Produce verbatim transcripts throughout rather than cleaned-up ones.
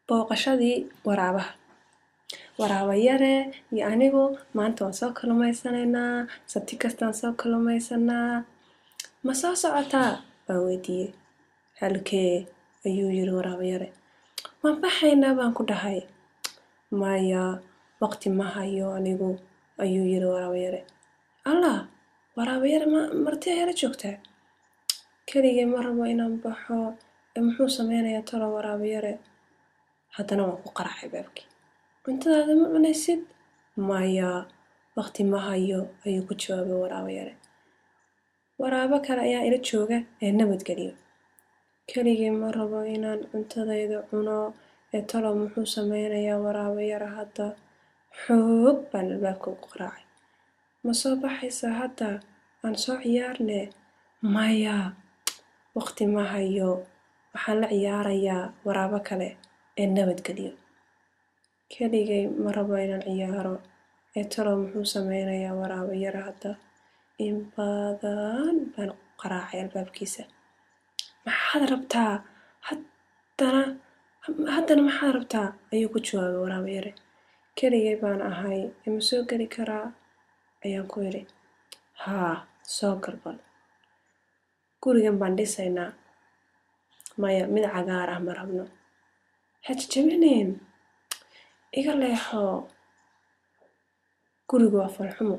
Booqashadii waraabaha. Waraaba yare iyo anigu maanta waan soo kalluumaysanaynaa, sabti kastaan soo kalluumaysanaa. Ma soo socotaa? Baan weydiiyey. Halkee? Ayuu yiri waraaba yare. Waan baxaynaa baan ku dhahay. Maya, waqti ma hayo anigu, ayuu yiri waraaba yare. Allah, waraaba yare ma marti ayaa la joogtaa? Keligay ma rabo inaan baxo, ee muxuu sameynayaa talo waraaba yare? Haddana waan ku qaraacay albaabkii. Cuntadaada ma cunaysid? Maya, waqti ma hayo, ayuu ku jawaabay waraaba yare. Waraabo kale ayaa ila jooga ee nabadgeliyo. Keligay ma rabo inaan cuntadayda cuno, ee talo muxuu sameynayaa waraaba yare hadda? Xoog baan albaabka ugu qaraacay. Ma soo baxaysaa hadda? Aan soo ciyaarne? Maya, waqti ma hayo. Waxaan la ciyaarayaa waraabo kale ee nabadgeliyo. Keligay ma rabo inaan ciyaaro, ee talo muxuu sameynayaa waraaba yare hadda? In badan baan qaraacay albaabkiisa. Maxaad rabtaa? Haddana haddana maxaad rabtaa? Ayuu ku jawaabay waraaba yare. Keligay baan ahay, ima soo geli karaa? Ayaan ku idhi. Haa, soo gal bal. Gurigan baan dhisaynaa. Maya, mid cagaar ah ma rabno. Ha jajabinin. Iga leexo. Gurigu waa falxumo.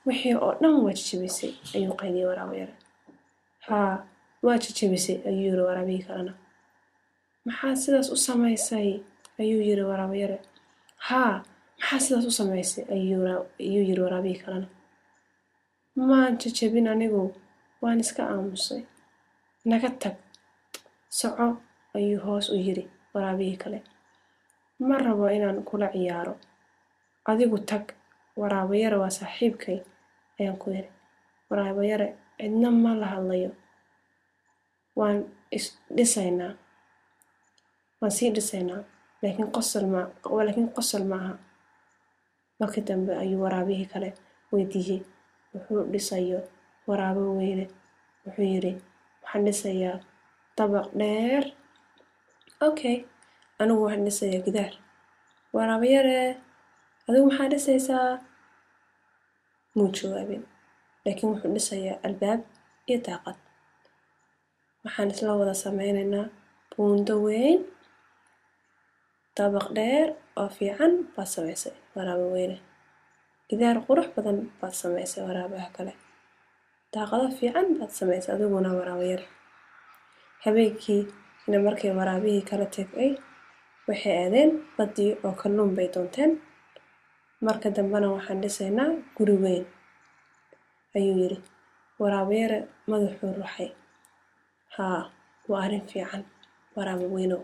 Wixii oo dhan waa jajabisay, ayuu qayliyay waraaba yare. Haa, waa jajabisay, ayuu yiri waraabihii kalena. Maxaad sidaas u samaysay? Ayuu yiri waraaba yare. Haa, maxaad sidaas u samaysay? Ayuu yiri waraabihii kalena. Maan jajabin anigu, waan iska aamusay. Naga tag. Soco, ayuu hoos u yiri waraabihii kale. Ma rabo inaan kula ciyaaro. Adigu tag. Waraaba yare waa saaxiibkay, ayaan ku yiri. Waraaba yare cidna ma la hadlayo. Waan is dhisaynaa. Waan sii dhisaynaa, laakiin qosol ma laakiin qosol ma aha. Markii dambe ayuu waraabihii kale weydiiyey wuxuu dhisayo waraabo weyne. Wuxuu yiri, waxaan dhisayaa dabaq dheer. Okay, anigu waxaan dhisayaa gidaar. Waraaba yare, adigu maxaa dhisaysaa? Muu jawaabin, laakiin wuxuu dhisayaa albaab iyo daaqad. Waxaan isla wada sameynaynaa buundo weyn. Dabaq dheer oo fiican baad samaysay waraaba weyne. Gidaar qurux badan baad samaysay waraabaha kale. Daaqado fiican baad samaysay adiguna waraaba yare. Habeenkiina markay waraabihii kala tegay, waxay aadeen baddii oo kalluun bay doonteen. Marka dambena waxaan dhisaynaa guri weyn, ayuu yiri. Waraaba yare madaxuu ruxay. Haa, waa arrin fiican, waraaba weynow.